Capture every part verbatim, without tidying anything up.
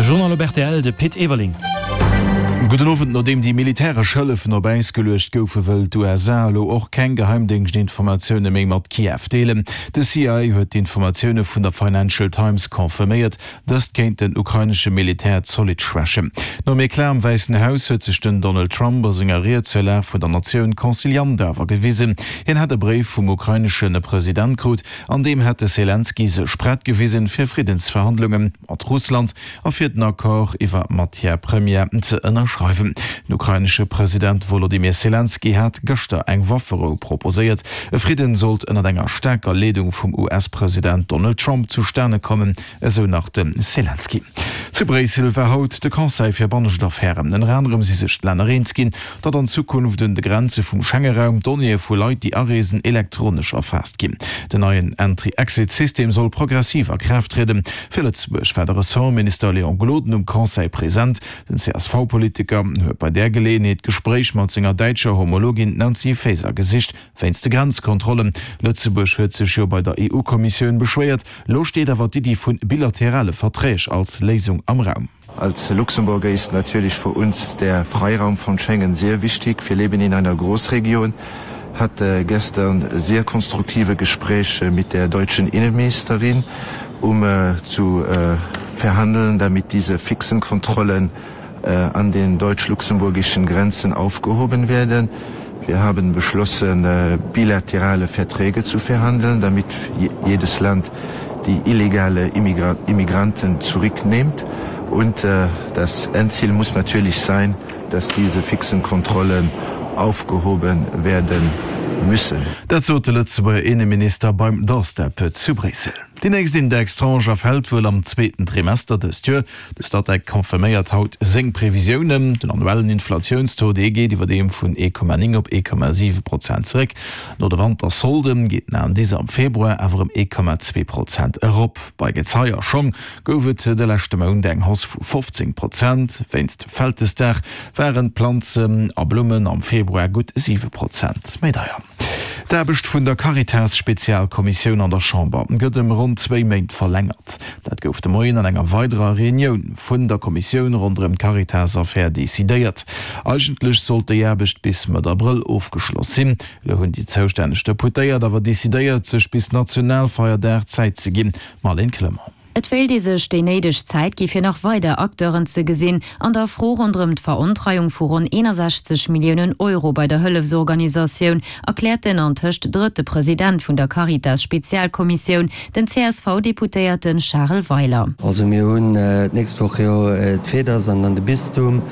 Journal op rtl, de Pit Everling. Gudden Owend, Nodeem déi militäresch Hëllefen op Äis geluecht goufen, wëll d'USA elo och keng Geheimdéngschtinformatioune méi mat Kiew deelen. De CIA huet d'Informatioune vun der Financial Times confirméiert. Dëst kéint den ukrainesche Militär zolidd schwächen. Nom Eclat am Wäissen Haus huet sech den Donald Trump a senger Ried zur Lag vun der Natioun conciliant awer gewisen. Hien hätt e Bréif vum ukrainesche President krut, an deem hätt de Selenskyj sech prett gewisen, fir Friddensverhandlunge mat Russland a fir den Accord iwwer Matière première ze ënnerschreiwen. Den ukrainesche President Wolodymyr Selenskyj hat gëschter eng Wafferou proposéiert. E Fridden sollt ënnert enger staarker Leedung vum US-President Donald Trump zustane kommen, esou nach de Selenskyj. Zu Bréissel war haut de Conseil fir bannescht Affären. Ënner anerem si sech d'Länner eens ginn, datt an Zukunft un de Grenze vum Schengeraum d'Donnéeë vu Leit, déi areesen, elektronesch erfaasst ginn. Den neien Entry-Exit-System soll progressiv a Kraaft trieden. Fir Lëtzebuerg war de Ressortminister Léon Gloden um Conseil present. Den CSV-Politiker huet bei där Geleeënheet d'Gespréich mat senger däitscher Homologin Nancy Faeser gesicht, wéinst de Grenzkontrollen. Lëtzebuerg huet sech jo bei der EU-Kommissioun beschwéiert. Lo steet awer d'Iddi vu bilaterale Verträg als Léisung am Raum. Als Luxemburger ist natürlich für uns der Freiraum von Schengen sehr wichtig. Wir leben in einer Großregion, hatte gestern sehr konstruktive Gespräche mit der deutschen Innenministerin, um äh, zu äh, verhandeln, damit diese fixen Kontrollen äh, an den deutsch-luxemburgischen Grenzen aufgehoben werden. Wir haben beschlossen, äh, bilaterale Verträge zu verhandeln, damit jedes Land die illegale Immigra Immigranten zurücknimmt. Und äh, das Endziel muss natürlich sein, dass diese fixen Kontrollen aufgehoben werden müssen. Dat sot de Lëtzebuerger Inneminister beim Doorstep zu Bréissel. Déi nächst Indextranche erfält wuel am zweeten Trimester dëst Joer. De Statec confirméiert haut seng Previsiounen. Den annuellen Inflatiounstaux, dee geet iwwerdeem vun ee Komma néng op ee Komma siwe Prozent zeréck. No de Wantersolde geet den Indice am Februar awer ëm ee Komma zwee Prozent erop. Bei Gezei a Schong gouf et de leschte Mount eng Hausse vu fofzéng Prozent. Wéinst Vältesdag waren d'Planzen a Blummen am Februar gutt siwe Prozent méi deier. D'Aarbecht vun der Caritas-Spezialkommissioun an der Chamber gëtt ëm ronn zwéi Méint verlängert. Dat gouf de Moien an enger weiderer Reunioun vun der Kommissioun ronderëm d'Caritas-Affär decidéiert. Eigentlech sollt déi Aarbecht bis Mëtt Abrëll ofgeschloss sinn. Elo hunn déi zoustänneg Deputéiert awer decidéiert, sech bis Nationalfeierdag Zäit ze ginn. Marlène Clement. Et wéilt ee sech déi néideg Zäit gi fir nach weider Acteuren ze gesinn an der Fro ronderëm d'Verontreiung vu ronn eenasechzeg Milliounen Euro bei der Hëllefsorganisatioun, erkläert den antëscht drëtte President vun der Caritas-Spezialkommissioun, den C S V-Deputéierte Charel Weiler. Also mir hunn d'nächst Woch jo d'FEDAS an dann de Bistum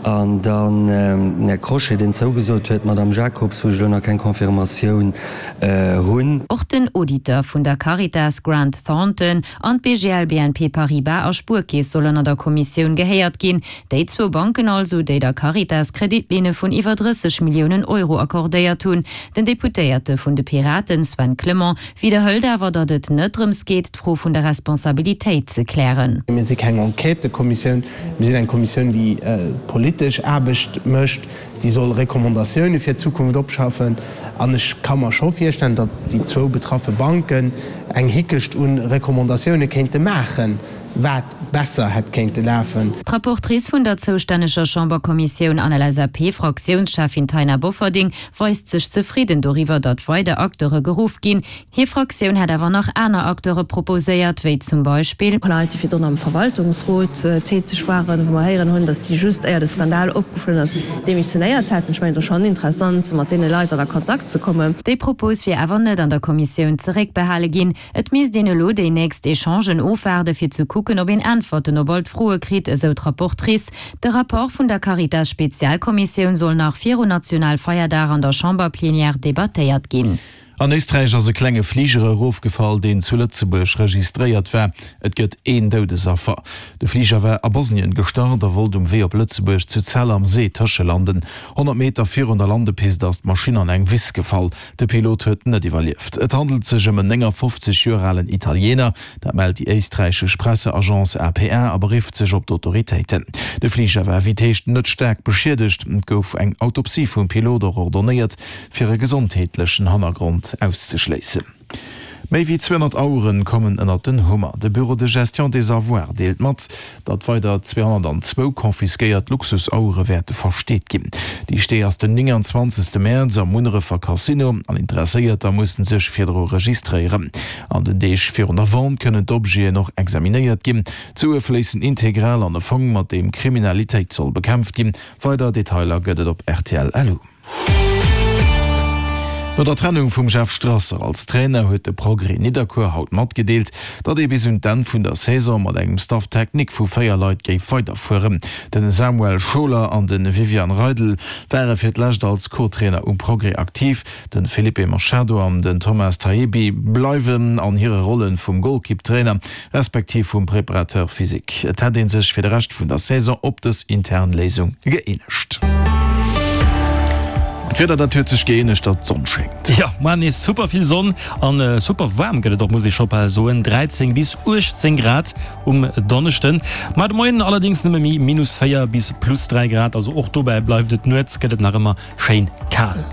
an dann den Här Crochet, deen zougesot huet, d'Madame Jacobs, wou ech elo nach keng Confirmatioun hunn. Och den Auditeur vun der Caritas Grant Thornton an d'B G L B N P Paribas a Spuerkeess sollen an der Kommissioun gehéiert ginn. Déi zwou Banken also, déi der Caritas Kreditlinne vun iwwer drësseg Milliounen Euro accordéiert hunn. Den Deputéierte vun de Piraten Sven Clement widderhëlt awer, datt et net drëms geet, d'Fro vun der Responsabilitéit ze klären. Mir si keng Enquêtëkommissioun, mir sinn eng Kommissioun, déi politesch Aarbecht mécht, déi soll Recommandatioune fir d'Zukunft opschaffen. An ech ka mer scho virstellen, datt déi zwou betraffe Banken eng Hickecht u Recommandatioune kéinte maachen, wat besser hätt kéinte lafen. D'Rapportrice vun der zoustänneger Chamberkommissioun an L S A P-Fraktiounscheffin Taina Bofferding weist sech zefridden doriwwer, datt weider Acteure geruff ginn. Hir Fraktioun hätt awer nach aner Acteure proposéiert, wéi zum Beispill. Leit, déi virdrun am Verwaltungsrot täteg waren, wou mer héieren hunn, datt déi just éier de Skandal opgeflunn ass, demissionéiert hätten. Ech mengen, et ass schonn interessant, mat deene Leit dann a Kontakt ze kommen. Déi Propos wier awer net an der Kommissioun zeréckbehale ginn. Et misst een elo déi nächst Echangen ofwaarde fir ze kucken, ob een Äntwerten op all d'Froe kritt, esou d'Rapportrice. De Rapport vun der Caritas-Spezialkommissioun soll nach virun Nationalfeierdag an der Chamberplenière debattéiert ginn. An Éisträich ass e klenge Fliger erofgefall, deen zu Lëtzebuerg registréiert war. Et gëtt een Doudesaffer. De Fliger war a Bosnien gestart a wollt um Wee op Lëtzebuerg zu Zell am See tëschelanden. honnert Meter virun der Landepist ass d'Maschinn an eng Wiss gefall. De Pilot huet net iwwerlieft. Et handelt sech ëm en néngafofzeg Joer alen Italiener. Dat mellt déi éisträichesch Presseagence A P A a berifft sech op d'Autoritéiten. De Fliger war wéi et heescht net staark beschiedegt. Et gouf eng Autopsie vum Pilot och ordonéiert, fir e gesondheetlechen Hannergrond auszeschléissen. Méi wéi zweehonnert Aueren kommen ënnert den Hummer. De Bureau de gestion des avoirs deelt mat, datt weider zweehonnertanzwou confisquéiert Luxusauere wäerte versteet ginn. Déi Stee ass den nénganzwanzegste Mäerz am Munnerefer Casino an Interesséierter mussen sech virdru registréieren. An den Deeg virun der Vente kënnen d'Objeten och examinéiert ginn. D'Sue fléissen integral an e Fong, mat deem Kriminalitéit soll bekämpft ginn. Weider Detailer gëtt et op rtl. Lu. No der Trennung vum Jeff Strasser als Trainer huet de Progrès Nidderkuer haut matgedeelt, datt ee bis un d'Enn vun der Saison mat engem Staff technique vu véier Leit géif weiderfueren. Den Samuel Scholer an de Vivian Reidel ware fir d'lescht als Co-Trainer um Progrès aktiv. De Felipe Machado an den Thomas Taebi bleiwen an hire Rolle vum Golkipptrainer respektiv vum Préparateur physique. Et hätt ee sech fir de Rescht vun der Saison op dës intern Léisung gëeenegt. D'Wieder, dat huet sech gëeenegt, datt d'Sonn schéngt. Jo, muar nees super vill Sonn an super waarm gëtt et och, muss ee scho bal soen, dräizéng bis uechtzéng Grad um Donneschden. Mar de Moien allerdéngs nëmme méi minus véier bis plus dräi Grad, also och dobäi bleift et. Nuets gëtt et nach ëmmer schéin kal.